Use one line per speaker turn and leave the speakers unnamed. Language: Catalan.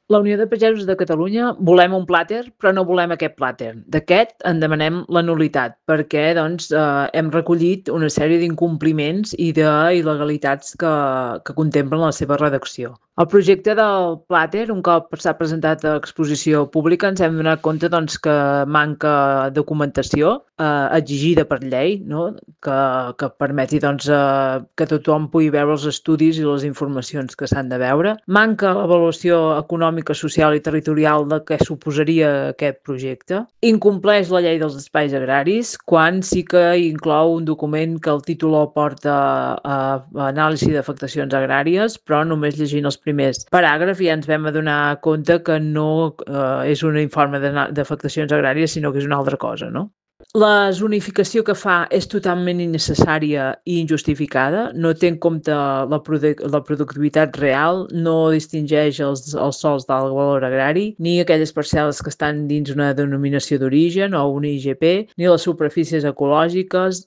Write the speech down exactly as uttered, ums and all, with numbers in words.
La Unió de Pagesos de Catalunya volem un plàter, però no volem aquest plàter. D'aquest en demanem la nul·litat, perquè doncs, eh, hem recollit una sèrie d'incompliments i d'il·legalitats que, que contemplen la seva redacció. El projecte del plàter, un cop s'ha presentat a exposició pública, ens hem donat compte doncs, que manca documentació eh, exigida per llei, no? que, que permeti doncs, eh, que tothom pugui veure els estudis i les informacions que s'han de veure. Manca l'avaluació econòmica, social i territorial de què suposaria aquest projecte. Incompleix la llei dels espais agraris, quan sí que inclou un document que el títol porta a, a anàlisi d'afectacions agràries, però només llegint els primers paràgrafs ja ens vam adonar compte que no eh, és un informe d'afectacions agràries, sinó que és una altra cosa, no? La zonificació que fa és totalment innecessària i injustificada, no té en compte la, produc la productivitat real, no distingeix els, els sols d'alt valor agrari, ni aquelles parcel·les que estan dins una denominació d'origen o un I G P, ni les superfícies ecològiques,